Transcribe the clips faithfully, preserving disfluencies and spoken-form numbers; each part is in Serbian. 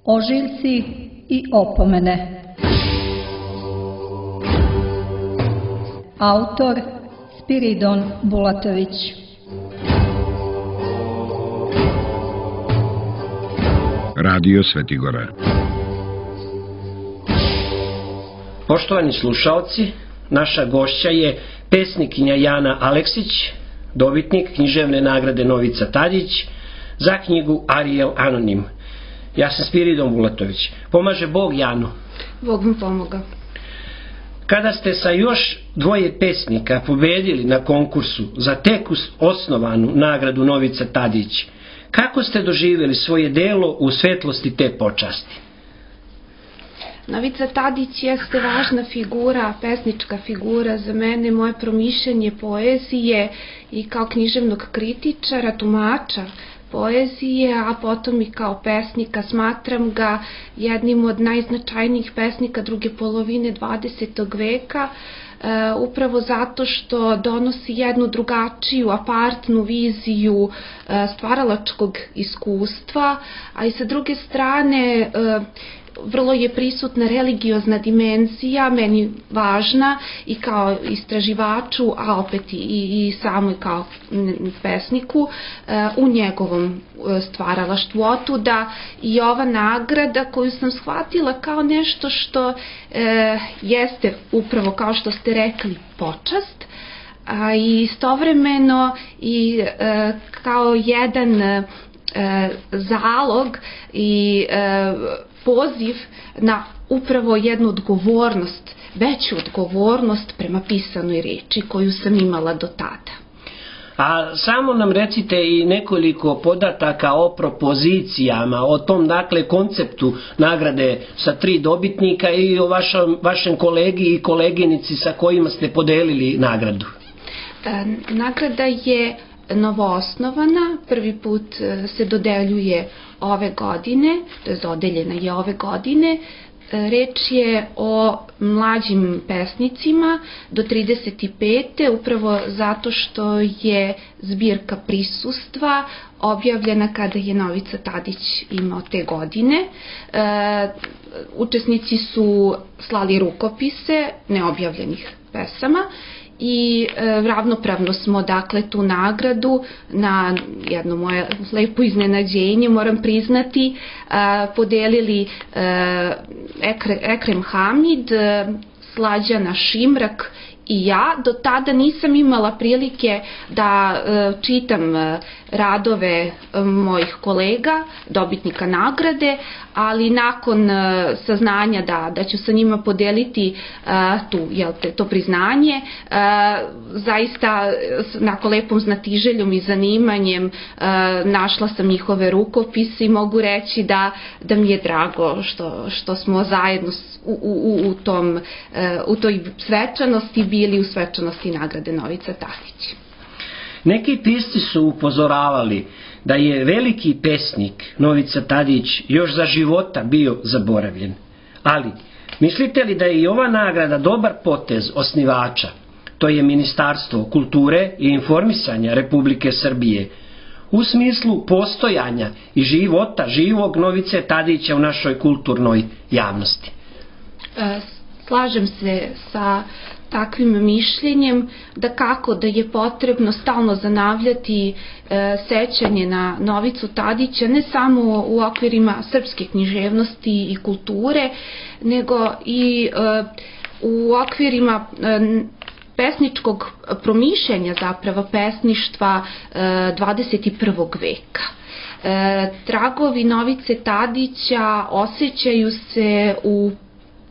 Ožiljci i opomene. Autor Spiridon Bulatović. Radio Svetigora. Poštovani slušaoci, naša gošća je pesnikinja Jana Aleksić, dobitnik književne nagrade Novica Tadić za knjigu Ariel Anonim. Ja sam Spiridon Bulatović. Pomaže Bog Janu. Bog mi pomoga. Kada ste sa još dvoje pesnika pobedili na konkursu za tek osnovanu nagradu Novica Tadić, kako ste doživjeli svoje delo u svetlosti te počasti? Novica Tadić jeste važna figura, pesnička figura za mene, moje promišljanje poezije i kao književnog kritičara, tumača poezije, a potom i kao pesnika. Smatram ga jednim od najznačajnijih pesnika druge polovine dvadesetog veka, e, upravo zato što donosi jednu drugačiju, apartnu viziju e, stvaralačkog iskustva, a i sa druge strane e, vrlo je prisutna religiozna dimenzija, meni važna i kao istraživaču, a opet i, i samo kao pesniku u njegovom stvaralaštvu. Otuda i ova nagrada koju sam shvatila kao nešto što e, jeste upravo, kao što ste rekli, počast, a istovremeno i e, kao jedan e, zalog i e, poziv na upravo jednu odgovornost, veću odgovornost prema pisanoj reči koju sam imala do tada. A samo nam recite i nekoliko podataka o propozicijama, o tom dakle konceptu nagrade sa tri dobitnika i o vašem, vašem kolegi i koleginici sa kojima ste podelili nagradu. E, nagrada je novoosnovana, prvi put se dodeljuje ove godine, to je dodeljena je ove godine. Reč je o mlađim pesnicima do trideset pete, upravo zato što je zbirka prisustva objavljena kada je Novica Tadić imao te godine. E, učesnici su slali rukopise neobjavljenih pesama i e, ravnopravno smo dakle tu nagradu na jedno moje lepo iznenađenje, moram priznati, e, podelili e, Ekre, Ekrem Hamid, e, Slađana Šimrak i ja. Do tada nisam imala prilike da e, čitam e, radove e, mojih kolega, dobitnika nagrade, ali nakon e, saznanja da, da ću sa njima podeliti e, tu, jel te, to priznanje, e, zaista nakon lepom znatiželjom i zanimanjem e, našla sam njihove rukopise i mogu reći da, da mi je drago što, što smo zajedno u, u, u, tom, e, u toj svečanosti bili u svečanosti nagrade Novica Tadić. Neki pisci su upozoravali da je veliki pesnik Novica Tadić još za života bio zaboravljen. Ali, mislite li da je i ova nagrada dobar potez osnivača, to je Ministarstvo kulture i informisanja Republike Srbije, u smislu postojanja i života živog Novice Tadića u našoj kulturnoj javnosti? E, slažem se sa takvim mišljenjem, da kako da je potrebno stalno zanavljati e, sećanje na Novicu Tadića, ne samo u okvirima srpske književnosti i kulture, nego i e, u okvirima e, pesničkog promišljanja, zapravo pesništva e, dvadeset prvog veka. E, tragovi Novice Tadića osjećaju se u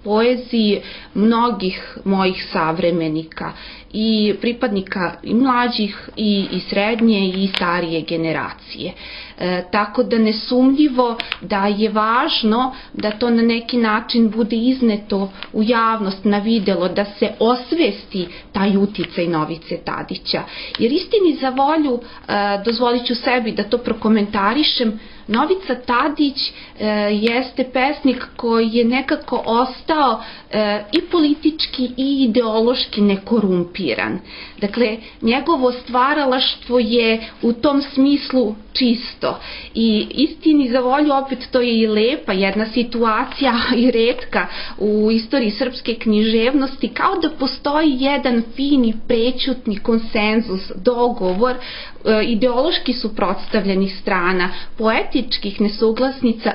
poeziji mnogih mojih savremenika i pripadnika i mlađih i, i srednje i starije generacije. E, tako da nesumnjivo da je važno da to na neki način bude izneto u javnost, na videlo, da se osvesti taj uticaj Novice Tadića. Jer istini za volju, e, dozvolit ću sebi da to prokomentarišem, Novica Tadić e, jeste pesnik koji je nekako ostao e, i politički i ideološki nekorumpiran. korumpiran. Dakle, njegovo stvaralaštvo je u tom smislu čisto. I istini za volju, opet to je i lepa jedna situacija i retka u istoriji srpske književnosti, kao da postoji jedan fini prećutni konsenzus, dogovor ideološki suprotstavljenih strana, poetičkih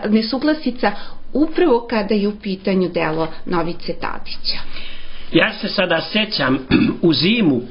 nesuglasica, upravo kada je u pitanju delo Novice Tadića. Ja se sada sećam u zimu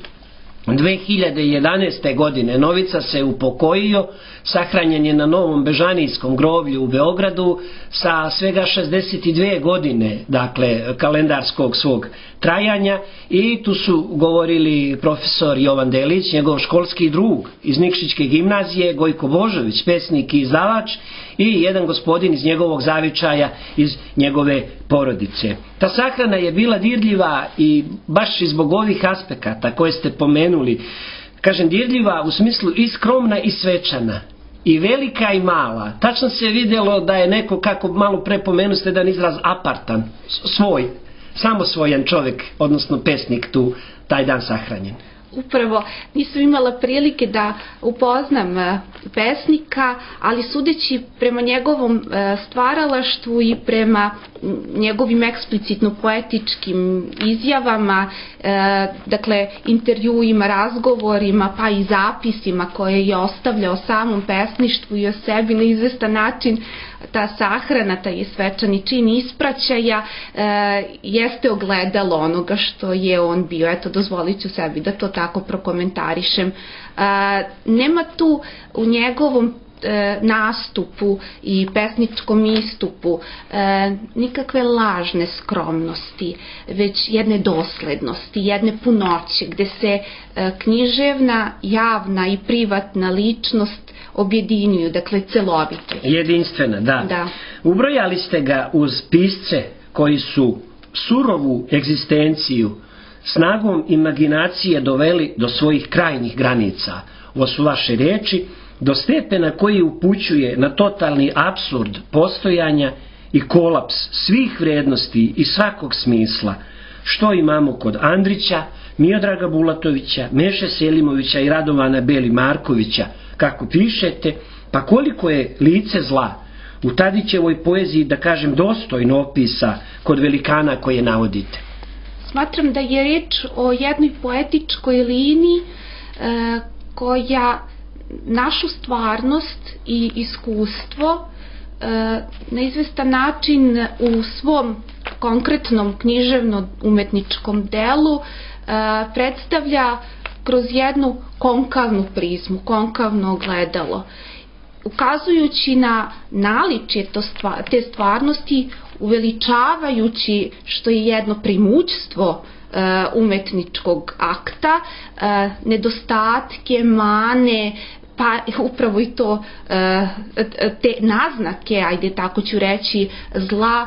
dve hiljade jedanaeste. godine Novica se upokojio, sahranjen je na Novom Bežanijskom groblju u Beogradu sa svega šezdeset dve godine, dakle kalendarskog svog trajanja, i tu su govorili profesor Jovan Delić, njegov školski drug iz Nikšićke gimnazije, Gojko Božović, pesnik i izdavač, i jedan gospodin iz njegovog zavičaja, iz njegove porodice. Ta sahrana je bila dirljiva i baš i zbog ovih aspekata koje ste pomenuli. Kažem, dirljiva u smislu i skromna i svečana, i velika i mala. Tačno se vidjelo da je neko, kako malo pre pomenu ste jedan izraz, apartan, svoj, samosvojan čovjek, odnosno pesnik, tu taj dan sahranjen. Upravo nisam imala prilike da upoznam pesnika, ali sudeći prema njegovom stvaralaštvu i prema njegovim eksplicitno poetičkim izjavama, dakle intervjuima, razgovorima, pa i zapisima koje je ostavljao o samom pesništvu i o sebi, na izvestan način ta sahrana, taj svečani čin ispraćaja jeste ogledalo onoga što je on bio. Eto, dozvolit ću sebi da to tako prokomentarišem. Nema tu u njegovom nastupu i pesničkom istupu nikakve lažne skromnosti, već jedne doslednosti, jedne punoće, gde se književna, javna i privatna ličnost objedinjuju, dakle celovito. Jedinstvena, da. Da. Ubrojali ste ga uz pisce koji su surovu egzistenciju snagom imaginacije doveli do svojih krajnjih granica. Ovo su vaše riječi, do stepena koji upućuje na totalni apsurd postojanja i kolaps svih vrijednosti i svakog smisla, što imamo kod Andrića, Miodraga Bulatovića, Meše Selimovića i Radovana Beli Markovića, kako pišete, pa koliko je lice zla u Tadićevoj poeziji, da kažem, dostojno opisa kod velikana koje navodite. Smatram da je reč o jednoj poetičkoj liniji e, koja našu stvarnost i iskustvo e, na izvestan način u svom konkretnom književno-umetničkom delu e, predstavlja kroz jednu konkavnu prizmu, konkavno ogledalo. Ukazujući na naličje te stvarnosti, uveličavajući, što je jedno primućstvo umetničkog akta, nedostatke, mane, pa upravo i to te naznake, ajde tako ću reći, zla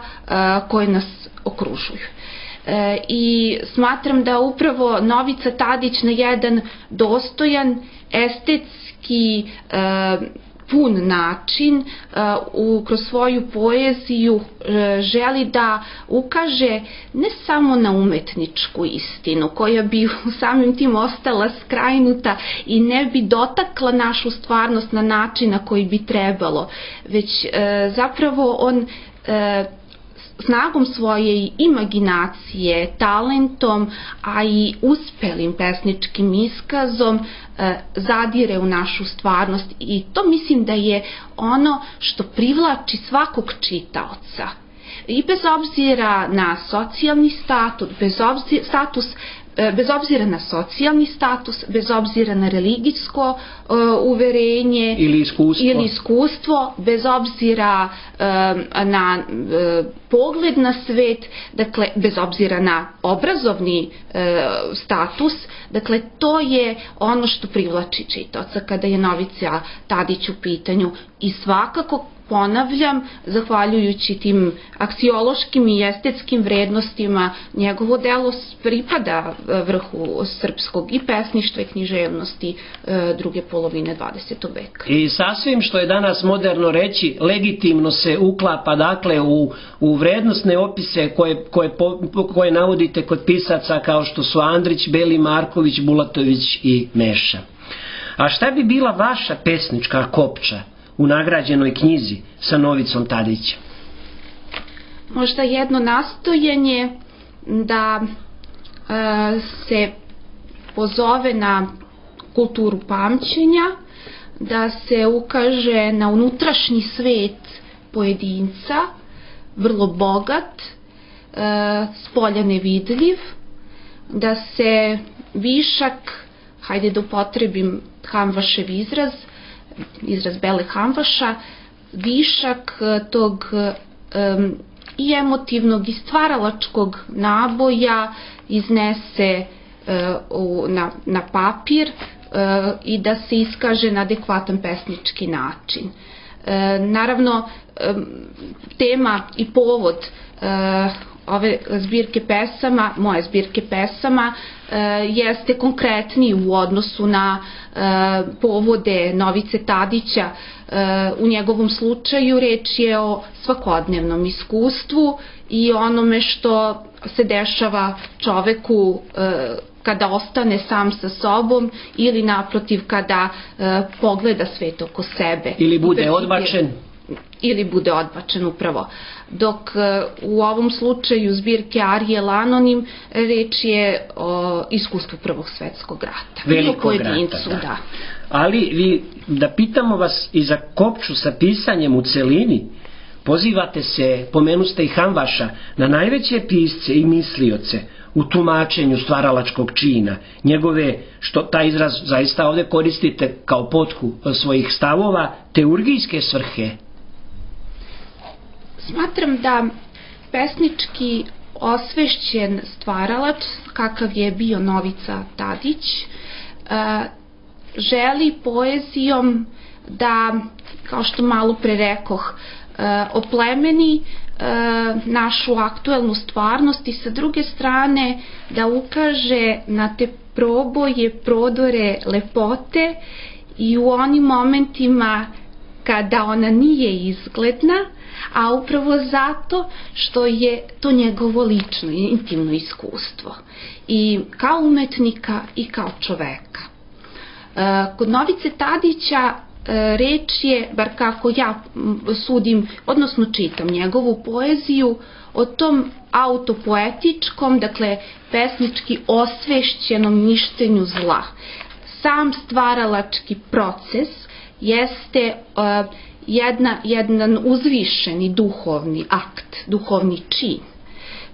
koje nas okružuju. I smatram da upravo Novica Tadić na jedan dostojan, estetski, pun način u, kroz svoju poeziju želi da ukaže ne samo na umetničku istinu koja bi samim tim ostala skrajnuta i ne bi dotakla našu stvarnost na način na koji bi trebalo, već zapravo on snagom svoje imaginacije, talentom, a i uspelim pesničkim iskazom zadire u našu stvarnost, i to mislim da je ono što privlači svakog čitaoca. I bez obzira na socijalni status, bez obzira, status, bez obzira na socijalni status, bez obzira na religijsko uh, uverenje ili iskustvo. ili iskustvo, bez obzira uh, na uh, pogled na svet, dakle, bez obzira na obrazovni uh, status, dakle, to je ono što privlači čitaoca kada je Novica Tadić u pitanju, i svakako ponavljam, zahvaljujući tim aksiološkim i estetskim vrednostima, njegovo delo pripada vrhu srpskog i pesništva i književnosti druge polovine dvadesetog veka. I sasvim što je danas moderno reći, legitimno se uklapa dakle u, u vrednostne opise koje, koje, koje navodite kod pisaca kao što su Andrić, Beli, Marković, Bulatović i Meša. A šta bi bila vaša pesnička kopča u nagrađenoj knjizi sa Novicom Tadićem? Možda jedno nastojanje da e, se pozove na kulturu pamćenja, da se ukaže na unutrašnji svet pojedinca, vrlo bogat, e, spolja nevidljiv, da se višak, hajde da upotrebim Hamvašev izraz, izraz Bele Hamvaša, višak tog um, i emotivnog i stvaralačkog naboja iznese uh, u, na, na papir uh, i da se iskaže na adekvatan pesnički način. Uh, naravno, um, tema i povod uh, ove zbirke pesama, moje zbirke pesama, e, jeste konkretniji u odnosu na e, povode Novice Tadića. E, u njegovom slučaju reč je o svakodnevnom iskustvu i onome što se dešava čoveku e, kada ostane sam sa sobom ili naprotiv kada e, pogleda svet oko sebe. Ili bude odbačen. Ili bude odbačen upravo. Dok u ovom slučaju zbirke Ariel Anonim reč je o iskustvu Prvog svetskog rata. Velikog rata, da. da. Ali vi, da pitamo vas i za kopču sa pisanjem u celini, pozivate se, pomenuste i Hamvaša, na najveće pisce i mislioce u tumačenju stvaralačkog čina, njegove, što taj izraz zaista ovdje koristite kao potku svojih stavova, teurgijske svrhe. Smatram da pesnički osvešćen stvaralač, kakav je bio Novica Tadić, želi poezijom da, kao što malo pre rekoh, oplemeni našu aktuelnu stvarnost i sa druge strane da ukaže na te proboje, prodore lepote i u onim momentima kada ona nije izgledna, a upravo zato što je to njegovo lično i intimno iskustvo i kao umetnika i kao čoveka. Kod Novice Tadića reč je, bar kako ja sudim, odnosno čitam njegovu poeziju, o tom autopoetičkom, dakle pesnički osvešćenom ništenju zla. Sam stvaralački proces jeste uh, jedna, jedan uzvišeni duhovni akt, duhovni čin,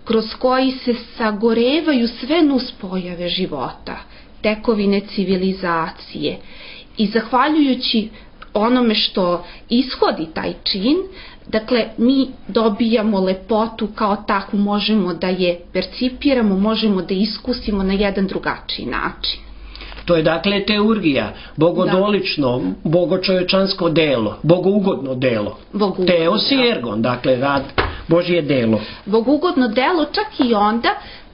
kroz koji se sagorevaju sve nuspojave života, tekovine civilizacije i zahvaljujući onome što ishodi taj čin, dakle mi dobijamo lepotu kao takvu, možemo da je percipiramo, možemo da iskusimo na jedan drugačiji način. To je dakle teurgija, bogodolično, da. bogočovečansko delo, bogougodno delo. Bogougodno, Teos i ergon, dakle rad, Božje delo. Bogougodno delo čak i onda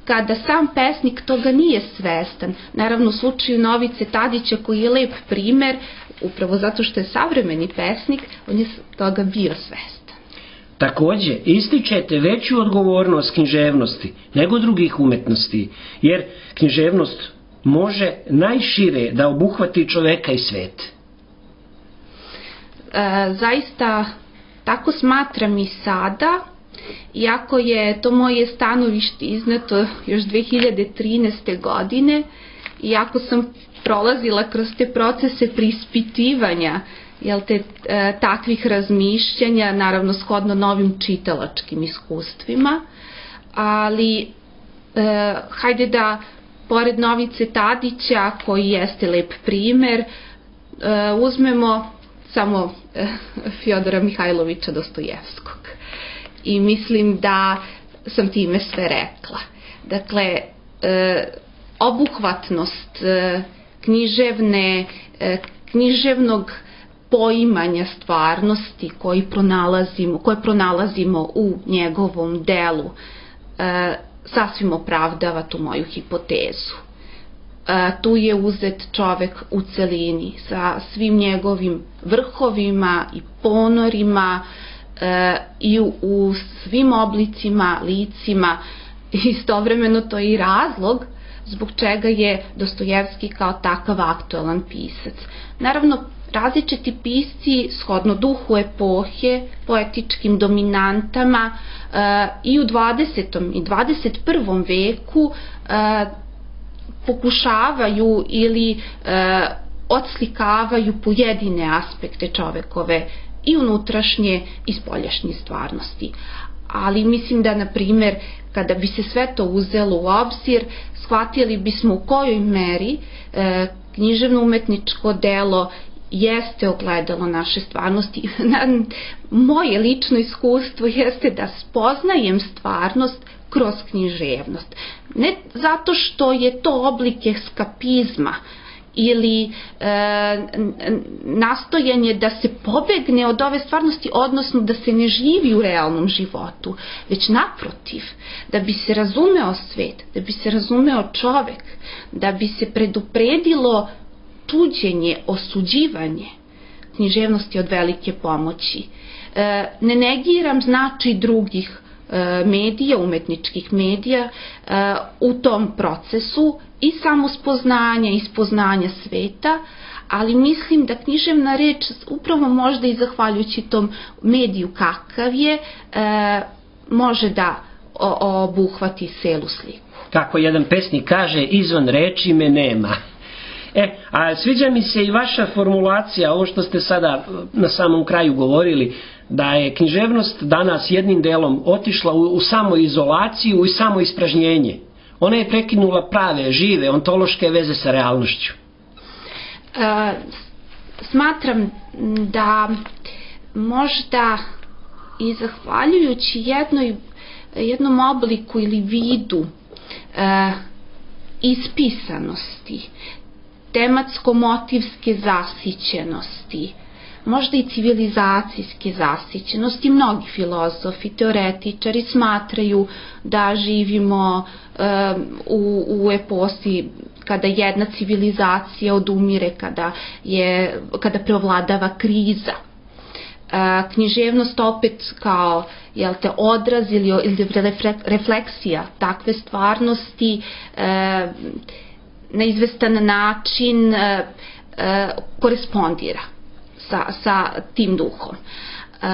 kada sam pesnik toga nije svestan. Naravno u slučaju Novice Tadića koji je lep primer, upravo zato što je savremeni pesnik, on je toga bio svestan. Takođe, ističete veću odgovornost književnosti nego drugih umetnosti, jer književnost može najšire da obuhvati čoveka i svet. E, zaista tako smatram i sada, iako je to moje stanovište izneto još dve hiljade trinaeste. godine, iako sam prolazila kroz te procese preispitivanja, jel te, e, takvih razmišljanja, naravno shodno novim čitalačkim iskustvima, ali e, hajde da pored Novice Tadića, koji jeste lep primer, uzmemo samo Fjodora Mihajlovića Dostojevskog. I mislim da sam time sve rekla. Dakle, obuhvatnost književne, književnog poimanja stvarnosti koji pronalazimo, koje pronalazimo u njegovom delu e, sasvim opravdava tu moju hipotezu. E, tu je uzet čovek u celini sa svim njegovim vrhovima i ponorima e, i u, u svim oblicima, licima. Istovremeno to je i razlog zbog čega je Dostojevski kao takav aktualan pisac. Naravno, različiti pisci, shodno duhu epohe, poetičkim dominantama e, i u dvadesetom i dvadeset prvom veku e, pokušavaju ili e, odslikavaju pojedine aspekte čovekove i unutrašnje i spoljašnje stvarnosti. Ali mislim da, na primer, kada bi se sve to uzelo u obzir, shvatili bismo u kojoj meri e, književno-umetničko delo jeste ogledalo naše stvarnosti. Moje lično iskustvo jeste da spoznajem stvarnost kroz književnost. Ne zato što je to oblik eskapizma ili e, nastojanje da se pobegne od ove stvarnosti, odnosno da se ne živi u realnom životu, već naprotiv, da bi se razumeo svet, da bi se razumeo čovek, da bi se predupredilo tuđenje, osuđivanje. Književnost je od velike pomoći. E, ne negiram značaj drugih e, medija, umetničkih medija e, u tom procesu i samospoznanja i spoznanja sveta, ali mislim da književna reč, upravo možda i zahvaljujući tom mediju kakav je, e, može da o, obuhvati celu sliku. Kako jedan pesnik kaže, izvan reči me nema. E, a sviđa mi se i vaša formulacija, ovo što ste sada na samom kraju govorili, da je književnost danas jednim delom otišla u, u samoizolaciju i samoispražnjenje. Ona je prekinula prave, žive, ontološke veze sa realnošću. E, smatram da možda i zahvaljujući jednoj, jednom obliku ili vidu e, ispisanosti, tematsko-motivske zasićenosti, možda i civilizacijske zasićenosti. Mnogi filozofi, teoretičari smatraju da živimo e, u, u eposi kada jedna civilizacija odumire, kada, je, kada preovladava kriza. E, književnost opet kao jel te, odraz ili, ili refleksija takve stvarnosti e, na izvestan način e, e, korespondira sa, sa tim duhom. E,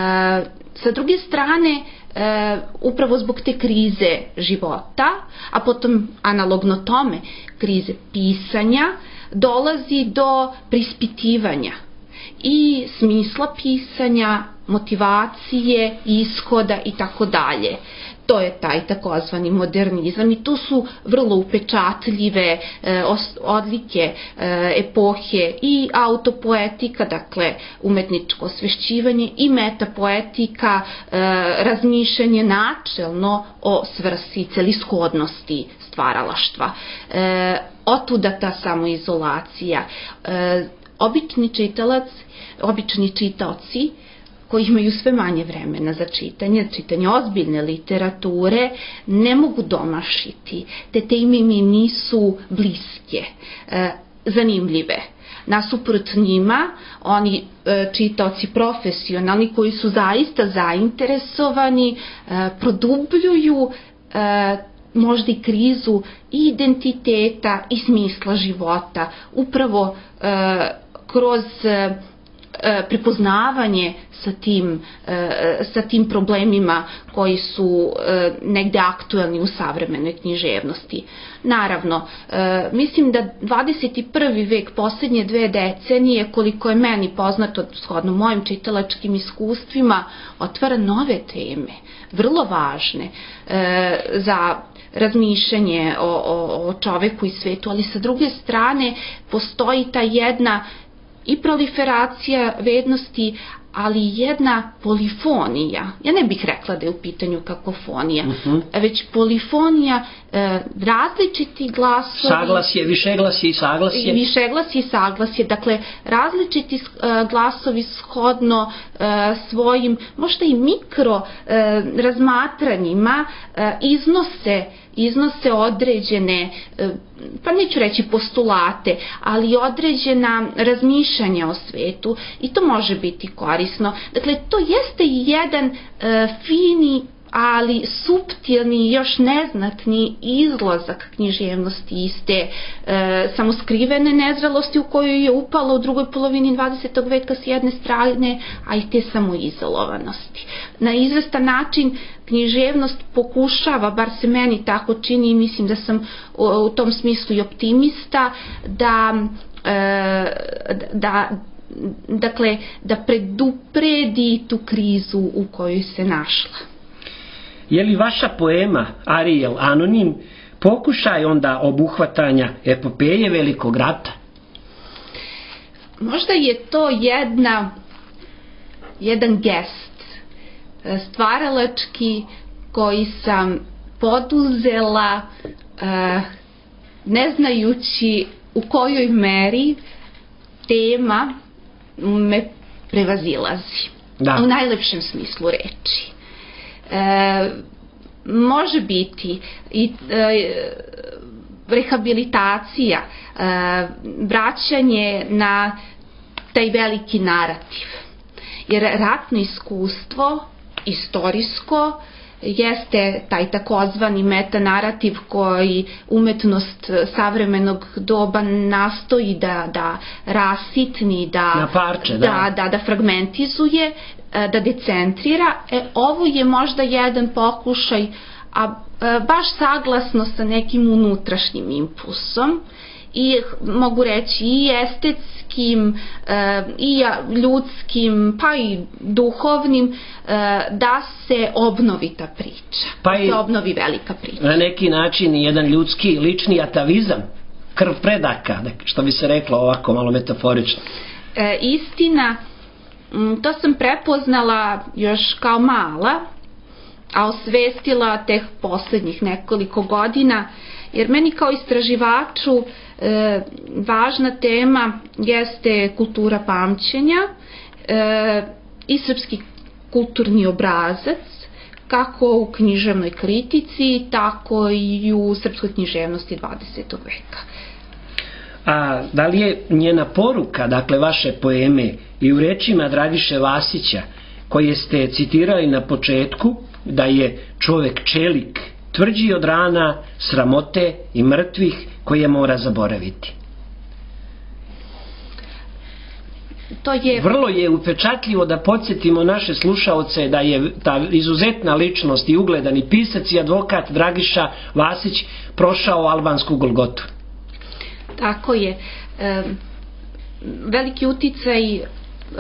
sa druge strane, e, upravo zbog te krize života, a potom analogno tome krize pisanja, dolazi do preispitivanja i smisla pisanja, motivacije, ishoda i tako dalje. To je taj takozvani modernizam i tu su vrlo upečatljive e, odlike e, epohe i autopoetika, dakle umetničko osvešćivanje, i metapoetika, e, razmišljanje načelno o svrsi, celishodnosti stvaralaštva. E, otuda ta samoizolacija. E, obični čitalac, obični čitaoci koji imaju sve manje vremena za čitanje, čitanje ozbiljne literature, ne mogu domašiti. Te teme mi nisu bliske, e, zanimljive. Nasuprot njima, oni e, čitaoci profesionalni koji su zaista zainteresovani, e, produbljuju e, možda i krizu i identiteta i smisla života, upravo e, kroz e, prepoznavanje sa tim, sa tim problemima koji su negde aktuelni u savremenoj književnosti. Naravno, mislim da dvadeset prvi vek, posljednje dve decenije, koliko je meni poznato, shodno mojim čitalačkim iskustvima, otvara nove teme, vrlo važne za razmišljanje o, o, o čoveku i svetu, ali sa druge strane postoji ta jedna i proliferacija vrednosti, ali jedna polifonija. Ja ne bih rekla da je u pitanju kakofonija, uh-huh. već polifonija, e, različiti glasovi. Saglasje, višeglasje i saglasje. Višeglasje i saglasje, dakle različiti e, glasovi shodno e, svojim, možda i mikro e, razmatranjima e, iznose iznose određene, pa neću reći postulate, ali određena razmišljanja o svetu i to može biti korisno. Dakle, to jeste jedan e, fini, ali suptilni, još neznatni izlazak književnosti iz te e, samoskrivene nezrelosti u kojoj je upala u drugoj polovini dvadesetog veka s jedne strane, a i te samoizolovanosti. Na izvestan način književnost pokušava, bar se meni tako čini i mislim da sam u, u tom smislu i optimista, da, e, da dakle, da predupredi tu krizu u kojoj se našla. Je li vaša poema Ariel Anonim pokušaj onda obuhvatanja epopeje Velikog rata? Možda je to jedna, jedan gest stvaralački koji sam poduzela ne znajući u kojoj meri tema me prevazilazi. Da. U najlepšem smislu reči. E, može biti i e, rehabilitacija, e, vraćanje na taj veliki narativ. Jer ratno iskustvo, istorijsko, jeste taj takozvani metanarativ koji umetnost savremenog doba nastoji da, da rasitni, da, na parče, da. Da, da, da fragmentizuje, da decentrira. E, ovo je možda jedan pokušaj, a baš saglasno sa nekim unutrašnjim impulsom i mogu reći i estetskim i ljudskim pa i duhovnim, da se obnovi ta priča, pa da se obnovi velika priča. Na neki način jedan ljudski lični atavizam, krv predaka, što bi se reklo ovako malo metaforično. E, istina, to sam prepoznala još kao mala, a osvestila tek poslednjih nekoliko godina, jer meni kao istraživaču e, važna tema jeste kultura pamćenja e, i srpski kulturni obrazac, kako u književnoj kritici, tako i u srpskoj književnosti dvadesetog veka. A da li je njena poruka, dakle vaše poeme, i u rečima Dragiše Vasića, koje ste citirali na početku, da je čovek čelik, tvrđi od rana, sramote i mrtvih koje mora zaboraviti? To je... Vrlo je upečatljivo da podsjetimo naše slušaoce da je ta izuzetna ličnost i ugledani pisac i advokat Dragiša Vasić prošao albansku Golgotu. Tako je. E, veliki uticaj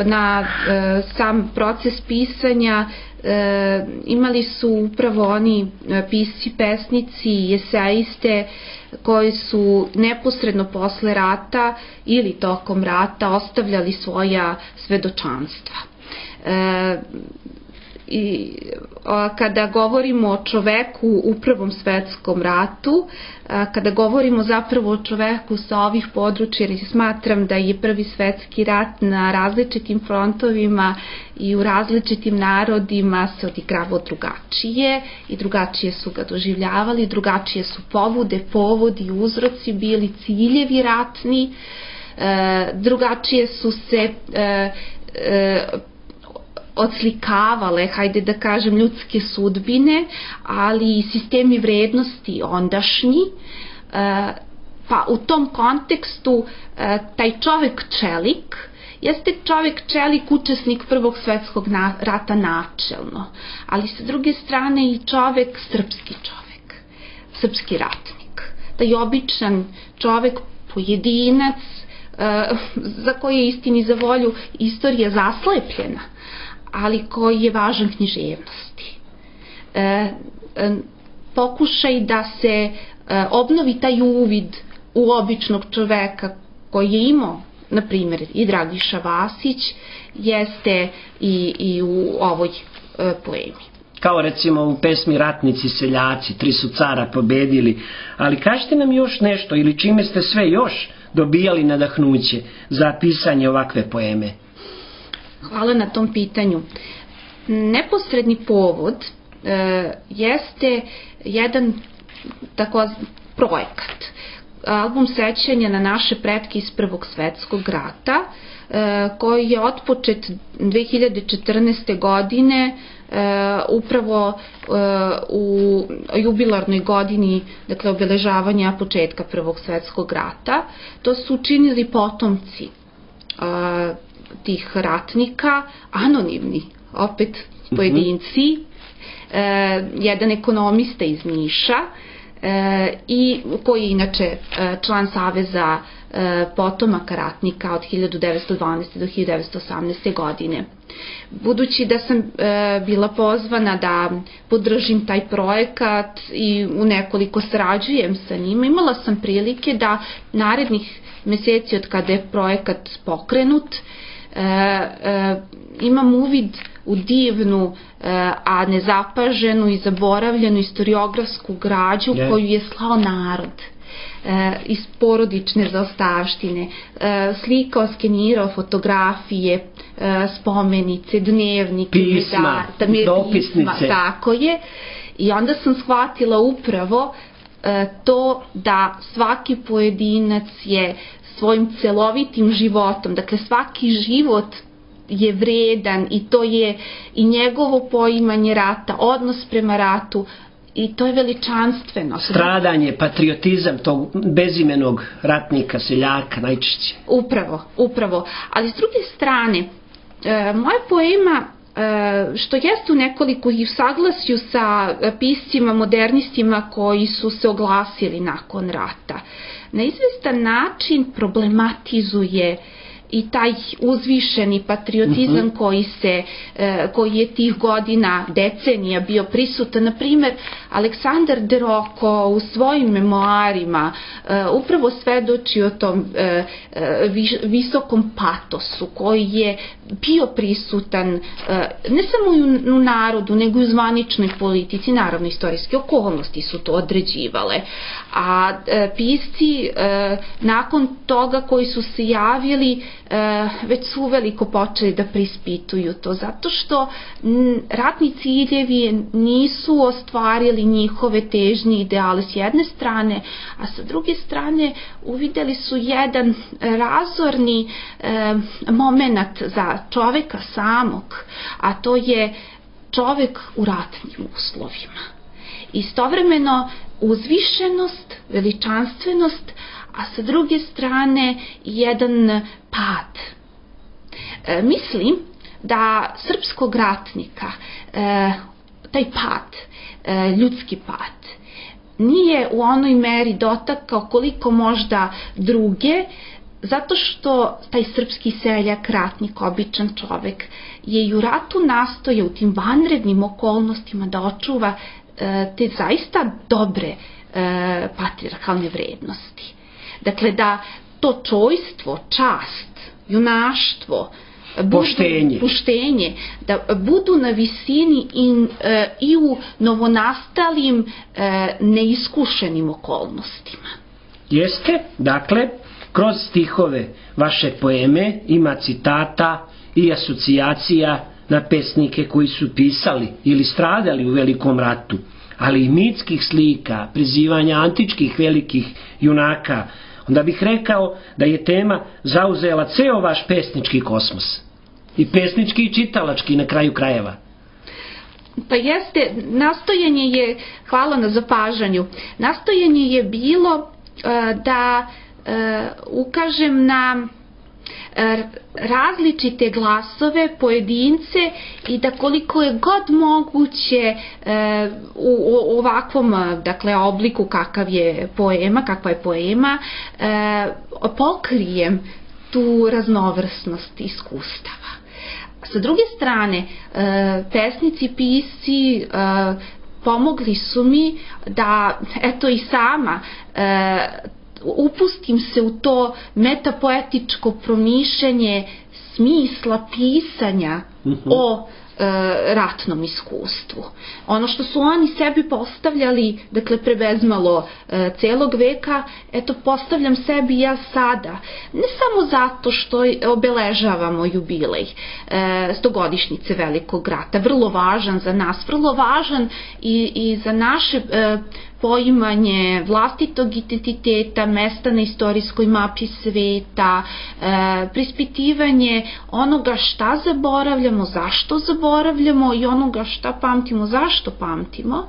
na e, sam proces pisanja e, imali su upravo oni pisci, pesnici, eseiste koji su neposredno posle rata ili tokom rata ostavljali svoja svedočanstva. E, I a, kada govorimo o čoveku u Prvom svetskom ratu, a, kada govorimo zapravo o čoveku sa ovih područja, jer smatram da je Prvi svetski rat na različitim frontovima i u različitim narodima se odigravao drugačije i drugačije su ga doživljavali, drugačije su povude, povodi, uzroci bili, ciljevi ratni, e, drugačije su se e, e, odslikavale, hajde da kažem, ljudske sudbine, ali i sistemi vrednosti ondašnji. Pa u tom kontekstu taj čovek čelik jeste čovek čelik, učesnik Prvog svetskog rata načelno, ali sa druge strane i čovek, srpski čovek, srpski ratnik. Taj običan čovek, pojedinac, za koje je istini za volju istorija zaslepljena, ali koji je važan književnosti. E, e, pokušaj da se e, obnovi taj uvid u običnog čoveka koji je imao na primjer i Dragiša Vasić, jeste i, i u ovoj e, poemi. Kao recimo u pesmi Ratnici seljaci, tri su cara pobedili, ali kažite nam još nešto ili čime ste sve još dobijali nadahnuće za pisanje ovakve poeme? Hvala na tom pitanju. Neposredni povod e, jeste jedan tako projekat. Album sećanja na naše pretke iz Prvog svetskog rata, e, koji je otpočet dve hiljade četrnaeste. godine e, upravo e, u jubilarnoj godini, dakle obeležavanja početka Prvog svetskog rata. To su učinili potomci e, tih ratnika, anonimni, opet pojedinci, mm-hmm. e, jedan ekonomista iz Niša, e, i koji je inače e, član Saveza e, potomaka ratnika od hiljadu devetsto dvanaeste. do hiljadu devetsto osamnaeste. godine. Budući da sam e, bila pozvana da podržim taj projekat i u nekoliko sarađujem sa njima, imala sam prilike da narednih meseci od kada je projekat pokrenut, E, e, imam uvid u divnu, e, a nezapaženu i zaboravljenu istoriografsku građu yeah. koju je slao narod e, iz porodične zaostavštine, e, slikao, skenirao fotografije, e, spomenice, dnevnike, pisma, medar, dopisnice. Pisma, tako je. I onda sam shvatila upravo e, to da svaki pojedinac je svojim celovitim životom, dakle svaki život je vredan i to je i njegovo poimanje rata, odnos prema ratu, i to je veličanstveno. Stradanje, patriotizam tog bezimenog ratnika, seljaka najčešće. Upravo, upravo. Ali s druge strane, e, moja poema, e, što jeste u nekoliko i u saglasju sa piscima, modernistima koji su se oglasili nakon rata, na izvestan način problematizuje i taj uzvišeni patriotizam uh-huh. koji se, koji je tih godina, decenija bio prisutan. Na primjer, Aleksandar de Roko u svojim memoarima upravo svedoči o tom visokom patosu koji je bio prisutan ne samo u narodu, nego i u zvaničnoj politici. Naravno, istorijske okolnosti su to određivale. A pisci nakon toga koji su se javili već su uveliko počeli da prispituju to, zato što ratni ciljevi nisu ostvarili njihove težnje ideale s jedne strane, a sa druge strane uvideli su jedan razorni e, moment za čoveka samog, a to je čovek u ratnim uslovima. Istovremeno uzvišenost, veličanstvenost, a sa druge strane jedan pad. E, mislim da srpskog ratnika, e, taj pad, e, ljudski pad, nije u onoj meri dotakao koliko možda druge, zato što taj srpski seljak, ratnik, običan čovek, je i u ratu nastojao u tim vanrednim okolnostima da očuva e, te zaista dobre e, patrijarhalne vrednosti. Dakle, da to čojstvo, čast, junaštvo, budu, poštenje. poštenje, da budu na visini i, e, i u novonastalim e, neiskušenim okolnostima. Jeste, dakle, kroz stihove vaše poeme ima citata i asocijacija na pesnike koji su pisali ili stradali u Velikom ratu, ali i mitskih slika, prizivanja antičkih velikih junaka. Onda bih rekao da je tema zauzela ceo vaš pesnički kosmos. I pesnički i čitalački na kraju krajeva. Pa jeste, nastojanje je, hvala na zapažanju, nastojanje je bilo uh, da uh, ukažem na različite glasove, pojedince, i da koliko je god moguće e, u, u ovakvom, dakle, obliku kakav je poema, kakva je poema, e, pokrijem tu raznovrsnost iskustava. Sa druge strane, e, pesnici, pisci e, pomogli su mi da, eto, i sama e, upustim se u to metapoetičko promišljanje smisla pisanja o ratnom iskustvu. Ono što su oni sebi postavljali, dakle pre bezmalo celog veka, eto postavljam sebi ja sada. Ne samo zato što obeležavamo jubilej stogodišnjice Velikog rata, vrlo važan za nas, vrlo važan i, i za naše poimanje vlastitog identiteta, mesta na istorijskoj mapi sveta, e, prispitivanje onoga šta zaboravljamo, zašto zaboravljamo i onoga šta pamtimo, zašto pamtimo.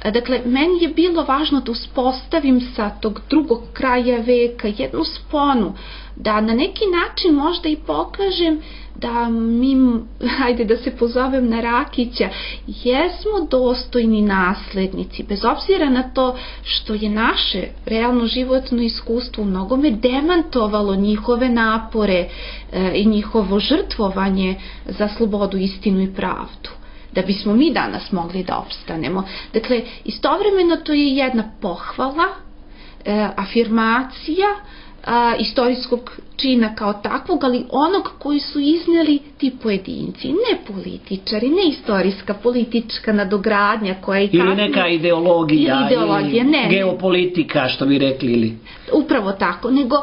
E, dakle, meni je bilo važno da uspostavim sa tog drugog kraja veka jednu sponu, da na neki način možda i pokažem da mi, hajde da se pozovem na Rakića, jesmo dostojni naslednici, bez obzira na to što je naše realno životno iskustvo u mnogome demantovalo njihove napore e, i njihovo žrtvovanje za slobodu, istinu i pravdu, da bismo mi danas mogli da opstanemo. Dakle, istovremeno to je jedna pohvala, e, afirmacija A, istorijskog čina kao takvog, ali onog koji su izneli ti pojedinci, ne političari, ne istorijska politička nadogradnja koja i ili neka ideologija, ili, ideologija, ili ne, geopolitika, što bi rekli. Ili... Upravo tako, nego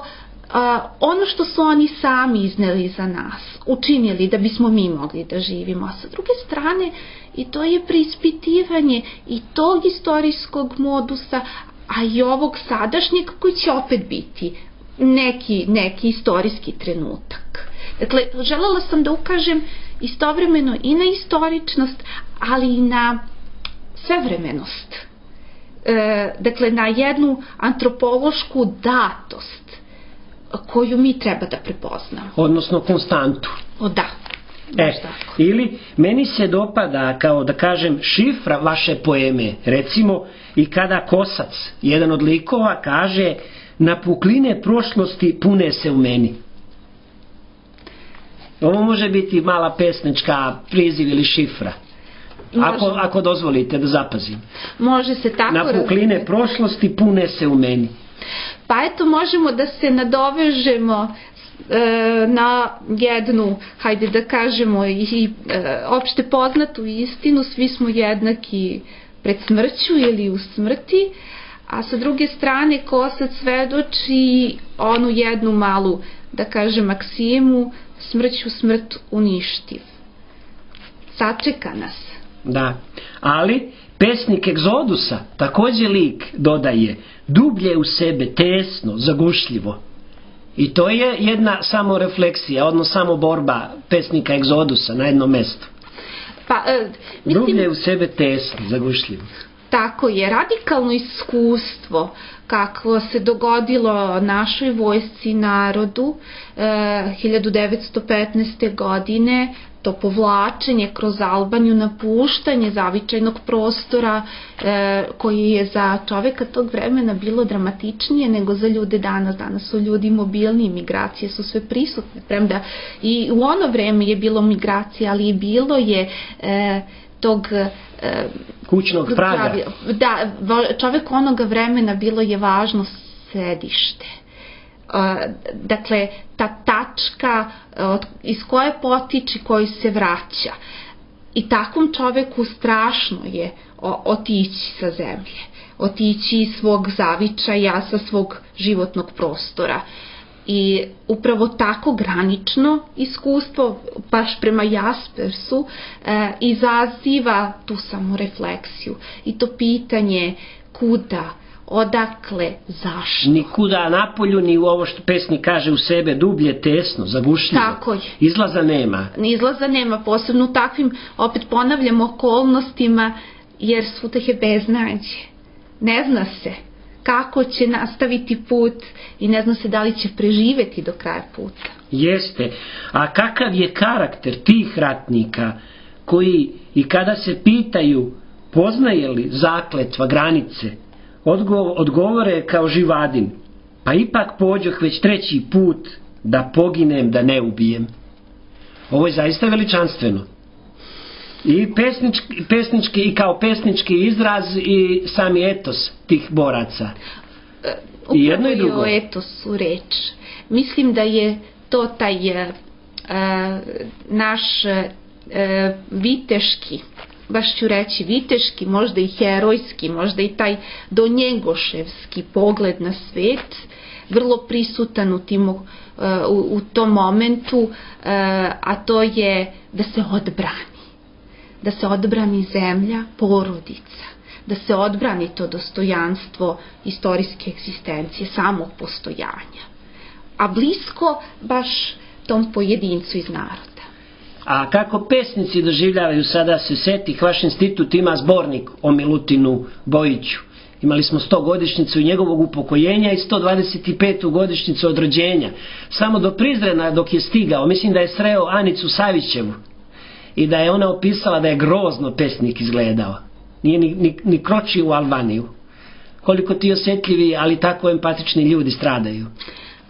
a, ono što su oni sami izneli za nas, učinili da bismo mi mogli da živimo, a sa druge strane i to je preispitivanje i tog istorijskog modusa, a i ovog sadašnjeg koji će opet biti neki, neki istorijski trenutak. Dakle, želela sam da ukažem istovremeno i na istoričnost, ali i na svevremenost. E, dakle, na jednu antropološku datost koju mi treba da prepoznamo. Odnosno konstantu. O da. E, ili meni se dopada, kao da kažem, šifra vaše poeme, recimo, i kada Kosac, jedan od likova, kaže: na pukline prošlosti pune se u meni. Ovo može biti mala pesnička priziv ili šifra. Ako, ako dozvolite da zapazim. Može se tako na pukline razumjeti. Prošlosti pune se u meni. Pa eto, možemo da se nadovežemo e, na jednu, hajde da kažemo, i e, opšte poznatu istinu: svi smo jednaki pred smrću ili u smrti. A sa druge strane, Kosac svedoči onu jednu malu, da kažem, maksimu: smrću smrt uništiv. Sačeka nas. Da, ali pesnik Egzodusa, također lik, dodaje: dublje u sebe, tesno, zagušljivo. I to je jedna samorefleksija, odnosno samo borba pesnika Egzodusa na jednom mjestu. Pa, e, mislim... Dublje u sebe, tesno, zagušljivo. Tako je, radikalno iskustvo kako se dogodilo našoj vojsci i narodu e, hiljadu devetsto petnaeste. godine, to povlačenje kroz Albaniju, napuštanje zavičajnog prostora e, koji je za čoveka tog vremena bilo dramatičnije nego za ljude danas. Danas su ljudi mobilni, migracije su sve prisutne, premda i u ono vreme je bilo migracije, ali i bilo je e, tog e, kućnog praga. Da, čovek onoga vremena bilo je važno sedište. Dakle, ta tačka iz koje potiče, koji se vraća. I takvom čoveku strašno je otići sa zemlje, otići iz svog zavičaja, sa svog životnog prostora. I upravo tako granično iskustvo, baš prema Jaspersu, e, izaziva tu samorefleksiju i to pitanje kuda, odakle, zašto. Nikuda napolju, ni u ovo što pesnik kaže u sebe: dublje, tesno, zagušljivo. Tako je. Izlaza nema. Izlaza nema, posebno u takvim, opet ponavljam, okolnostima, jer svutah je beznađe. Ne zna se kako će nastaviti put i ne zna se da li će preživeti do kraja puta. Jeste. A kakav je karakter tih ratnika koji i kada se pitaju poznaje li zakletva granice, odgo- odgovore kao Živadin: pa ipak pođoh već treći put, da poginem, da ne ubijem. Ovo je zaista veličanstveno. I pesnički, pesnički, i kao pesnički izraz i sami etos tih boraca. I jedno i drugo. Upravo je o etosu reč. Mislim da je to taj e, naš e, viteški, baš ću reći viteški, možda i herojski, možda i taj donjegoševski pogled na svet, vrlo prisutan u, tim, u, u tom momentu, a to je da se odbrani. Da se odbrani zemlja, porodica, da se odbrani to dostojanstvo istorijske egzistencije, samog postojanja. A blisko baš tom pojedincu iz naroda. A kako pesnici doživljavaju, sada se setih, vaš institut ima zbornik o Milutinu Bojiću. Imali smo sto godišnjicu njegovog upokojenja i sto dvadeset petu godišnjicu od rođenja. Samo do Prizrena dok je stigao, mislim da je sreo Anicu Savićevu i da je ona opisala da je grozno pesnik izgledao. Nije ni, ni, ni kročio u Albaniju. Koliko ti osjetljivi, ali tako empatični ljudi stradaju.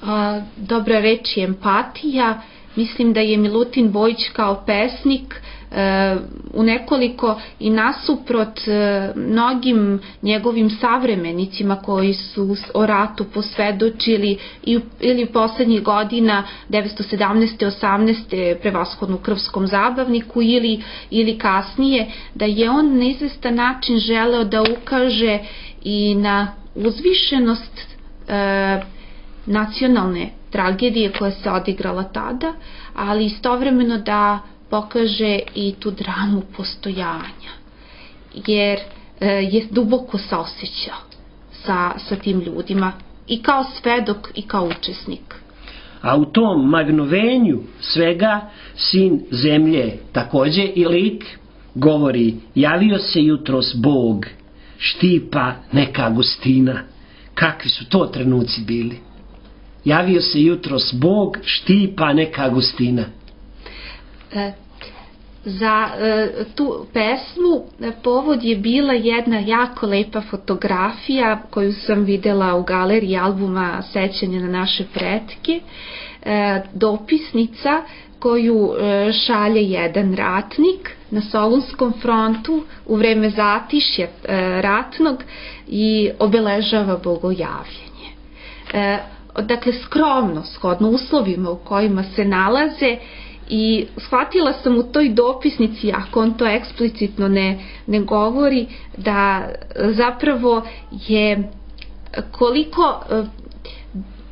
A, dobra reč je empatija. Mislim da je Milutin Bojić kao pesnik e, u nekoliko i nasuprot e, mnogim njegovim savremenicima koji su o ratu posvedočili i, ili poslednjih godina devetsto sedamnaeste. osamnaeste. prevashodno u Krvskom zabavniku ili, ili kasnije, da je on na izvestan način želeo da ukaže i na uzvišenost e, nacionalne tragedije koja se odigrala tada, ali istovremeno da pokaže i tu dramu postojanja, jer e, je duboko saosećao sa, sa tim ljudima i kao svedok i kao učesnik. A u tom magnovenju svega sin zemlje takođe i lik govori: javio se jutros Bog, štipa neka gustina. Kakvi su to trenuci bili? Javio se jutros Bog, štipa neka gustina. E, za e, tu pesmu povod je bila jedna jako lepa fotografija koju sam videla u galeriji albuma Sećanje na naše pretke. E, dopisnica koju e, šalje jedan ratnik na Solunskom frontu u vreme zatišja e, ratnog i obeležava bogojavljenje. E, dakle skromno, shodno uslovima u kojima se nalaze, i shvatila sam u toj dopisnici, ako on to eksplicitno ne, ne govori, da zapravo je koliko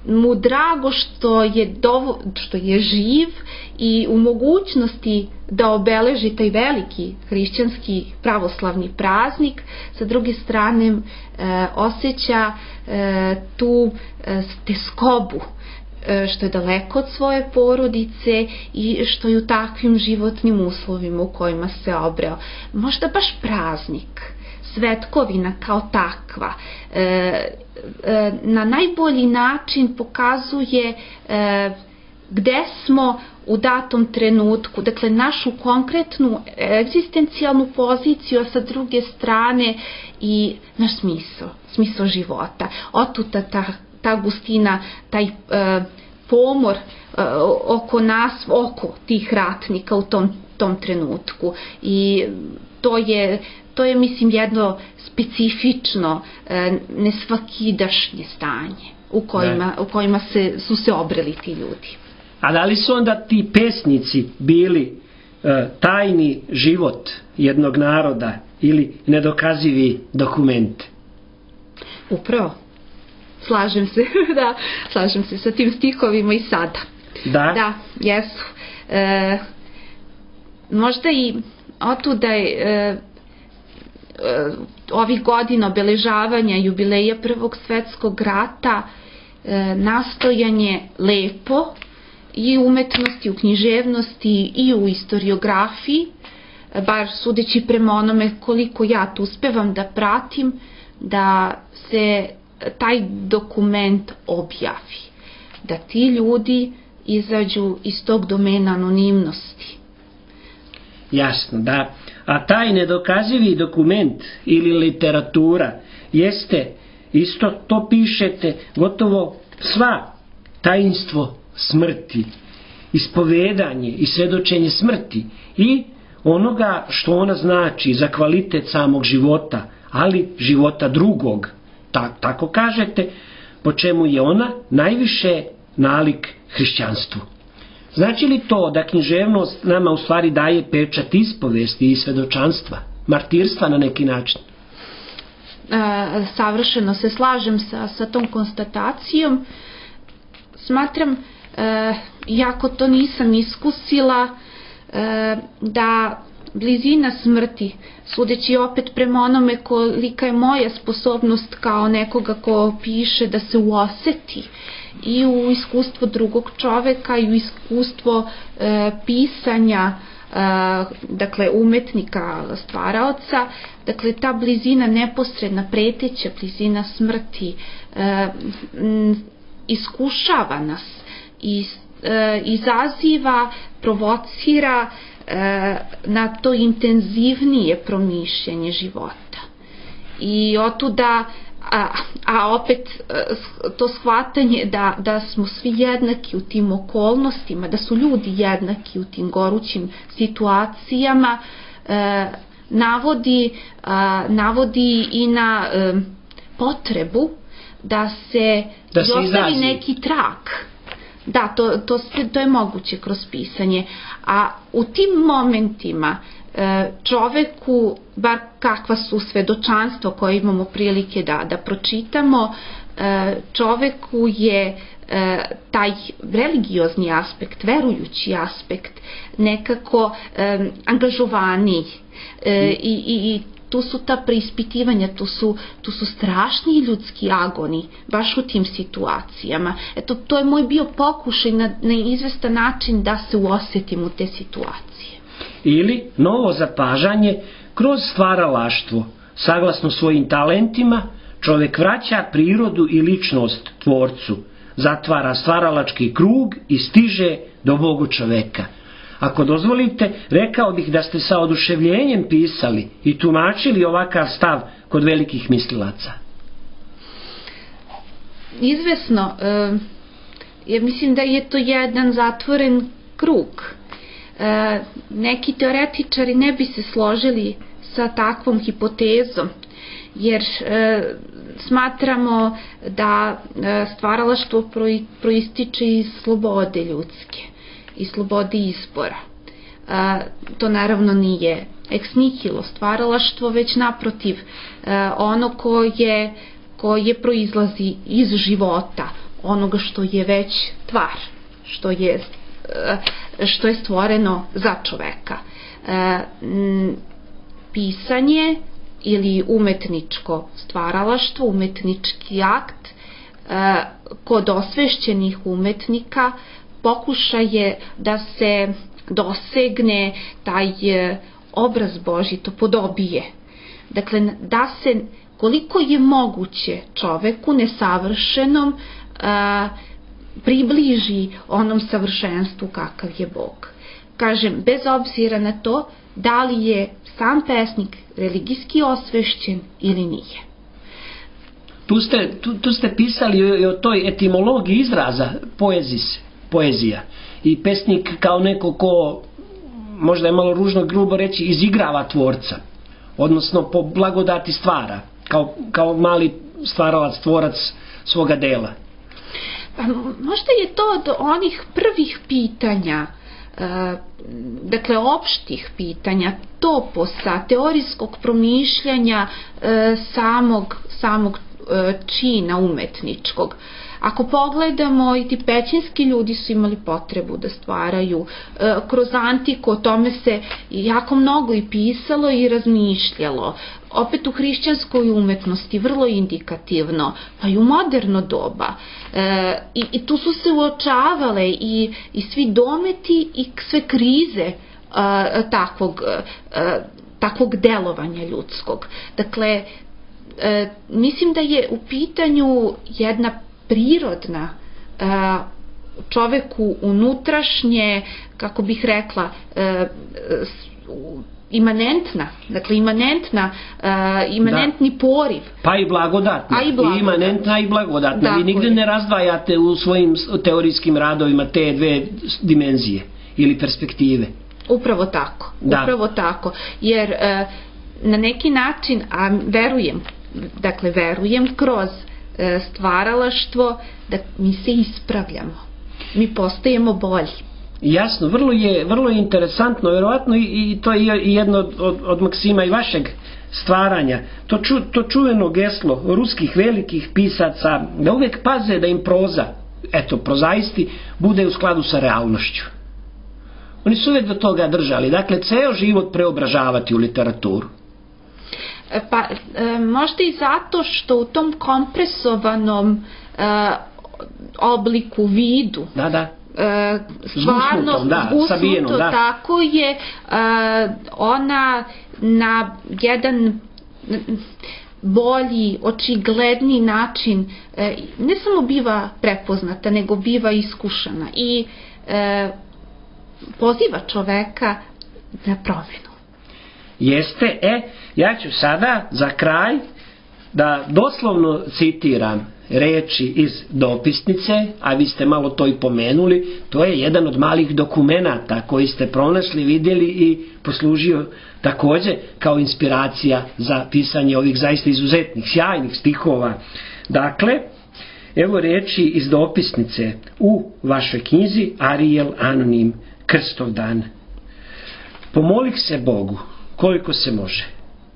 mu drago što je, dovo, što je živ i u mogućnosti da obeleži taj veliki hrišćanski pravoslavni praznik, sa druge strane e, osjeća e, tu e, teskobu, e, što je daleko od svoje porodice i što je u takvim životnim uslovima u kojima se obreo. Možda baš praznik, svetkovina kao takva, e, e, na najbolji način pokazuje e, gde smo u datom trenutku, dakle našu konkretnu egzistencijalnu poziciju, a sa druge strane i naš smisao, smisao života. Otuda ta, ta gustina, taj e, pomor e, oko nas, oko tih ratnika u tom, tom trenutku. I to je, to je mislim jedno specifično, e, nesvakidašnje stanje u kojima, u kojima se, su se obreli ti ljudi. A da li su onda ti pesnici bili e, tajni život jednog naroda ili nedokazivi dokument? Upravo. Slažem se, da, slažem se sa tim stihovima i sada. Da? Da, jesu. E, možda i otuda je e, e, ovih godina obeležavanja jubileja Prvog svetskog rata e, nastojanje lepo i u umetnosti, u književnosti i u istoriografiji, bar sudeći prema onome koliko ja tu uspevam da pratim, da se taj dokument objavi, da ti ljudi izađu iz tog domena anonimnosti. Jasno, da. A taj nedokazivi dokument ili literatura jeste, isto to pišete, gotovo sva tajinstvo smrti, ispovedanje i svedočenje smrti i onoga što ona znači za kvalitet samog života, ali života drugog. Ta, tako kažete, po čemu je ona najviše nalik hrišćanstvu. Znači li to da književnost nama u stvari daje pečat ispovesti i svedočanstva, martirstva na neki način? E, savršeno se slažem sa, sa tom konstatacijom. Smatram, e, iako to nisam iskusila, e, da blizina smrti, sudeći opet prema onome kolika je moja sposobnost kao nekoga ko piše, da se uoseti i u iskustvo drugog čoveka i u iskustvo e, pisanja, e, dakle umetnika, stvaraoca, dakle ta blizina, neposredna, preteća blizina smrti e, m, iskušava nas i e, izaziva, provocira e, na to intenzivnije promišljanje života. I otuda A, a opet to shvatanje da, da smo svi jednaki u tim okolnostima, da su ljudi jednaki u tim gorućim situacijama, e, navodi, a, navodi i na e, potrebu da se, da se ostavi neki trak. Da, to, to, to je moguće kroz pisanje. A u tim momentima čoveku, bar kakva su svedočanstva koje imamo prilike da, da pročitamo, čoveku je taj religiozni aspekt, verujući aspekt nekako angažovaniji i, i, i tu su ta preispitivanja, tu su, tu su strašni ljudski agoni baš u tim situacijama. Eto, to je moj bio pokušaj na, na izvestan način da se uosetim u te situacije. Ili novo zapažanje, kroz stvaralaštvo, saglasno svojim talentima, čovjek vraća prirodu i ličnost tvorcu, zatvara stvaralački krug i stiže do Bogu čoveka. Ako dozvolite, rekao bih da ste sa oduševljenjem pisali i tumačili ovakav stav kod velikih mislilaca. Izvesno, e, ja mislim da je to jedan zatvoren krug. E, neki teoretičari ne bi se složili sa takvom hipotezom, jer e, smatramo da e, stvaralaštvo proističe iz slobode ljudske i slobode izbora. E, to naravno nije ex nihilo stvaralaštvo, već naprotiv e, ono koje, koje proizlazi iz života, onoga što je već tvar, što je što je stvoreno za čoveka. E, pisanje ili umetničko stvaralaštvo, umetnički akt e, kod osvešćenih umetnika pokušaj je da se dosegne taj obraz Božji, to podobije. Dakle, da se koliko je moguće čoveku nesavršenom e, približi onom savršenstvu kakav je Bog. Kažem, bez obzira na to da li je sam pesnik religijski osvešćen ili nije. Tu ste, tu, tu ste pisali i o toj etimologiji izraza poezis, poezija. I pesnik kao neko ko, možda je malo ružno grubo reći, izigrava tvorca. Odnosno po blagodati stvara. Kao, kao mali stvaralac, tvorac svoga dela. Pa možda je to od onih prvih pitanja, e, dakle opštih pitanja, toposa, teorijskog promišljanja e, samog, samog e, čina umetničkog. Ako pogledamo, i ti pećinski ljudi su imali potrebu da stvaraju. E, kroz antiku o tome se jako mnogo i pisalo i razmišljalo. Opet u hrišćanskoj umetnosti vrlo indikativno, pa i u moderno doba. E, i, i tu su se uočavale i, i svi dometi i sve krize a, takvog, a, takvog delovanja ljudskog. Dakle, e, mislim da je u pitanju jedna prirodna, a, čoveku unutrašnje, kako bih rekla, a, imanentna, dakle imanentna, uh, imanentni da. Poriv. Pa i blagodatna. A i blagodatna. I imanentna i blagodatna. Dakle. Vi nigde ne razdvajate u svojim teorijskim radovima te dve dimenzije ili perspektive. Upravo tako. Da. Upravo tako. Jer uh, na neki način, a verujem, dakle verujem kroz e, stvaralaštvo, da mi se ispravljamo, mi postajemo bolji. Jasno, vrlo je, vrlo je interesantno, vjerovatno i, i to je i jedno od, od, od maksima i vašeg stvaranja. To, ču, to čuveno geslo ruskih velikih pisaca, da uvek paze da im proza, eto, prozaisti, bude u skladu sa realnošću. Oni su uvek do toga držali, dakle, ceo život preobražavati u literaturu. Pa, e, možda i zato što u tom kompresovanom e, obliku, vidu, Da, da. E, stvarno Zgusnutom, da, zgusnuto, sabijenom, da. tako je, e, ona na jedan bolji, očigledniji način e, ne samo biva prepoznata, nego biva iskušana i e, poziva čoveka na promenu. Jeste, e, ja ću sada za kraj da doslovno citiram reči iz dopisnice, a vi ste malo to i pomenuli, to je jedan od malih dokumenata koji ste pronašli, vidjeli i poslužio takođe kao inspiracija za pisanje ovih zaista izuzetnih, sjajnih stihova. Dakle, evo reči iz dopisnice u vašoj knjizi Arijel Anonim, Krstovdan. Pomolih se Bogu koliko se može,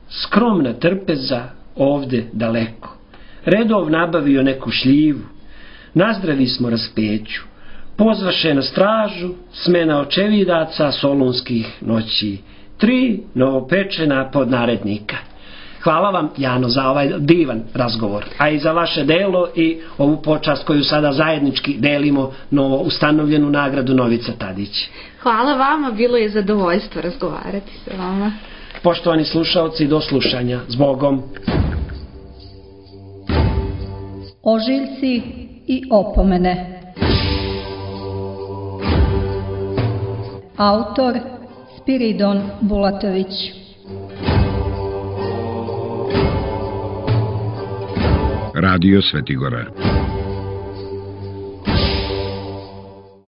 skromna trpeza ovde daleko, redov nabavio neku šljivu, nazdravi smo raspeću, pozvaše na stražu smena očevidaca solunskih noći, tri novopečena podnarednika. Hvala vam, Jano, za ovaj divan razgovor, a i za vaše delo i ovu počast koju sada zajednički delimo, novo ustanovljenu nagradu Novica Tadić. Hvala vama, bilo je zadovoljstvo razgovarati sa vama. Poštovani slušaoci, do slušanja. S Bogom. Ožiljci i opomene. Autor Spiridon Bulatović. Radio Svetigora.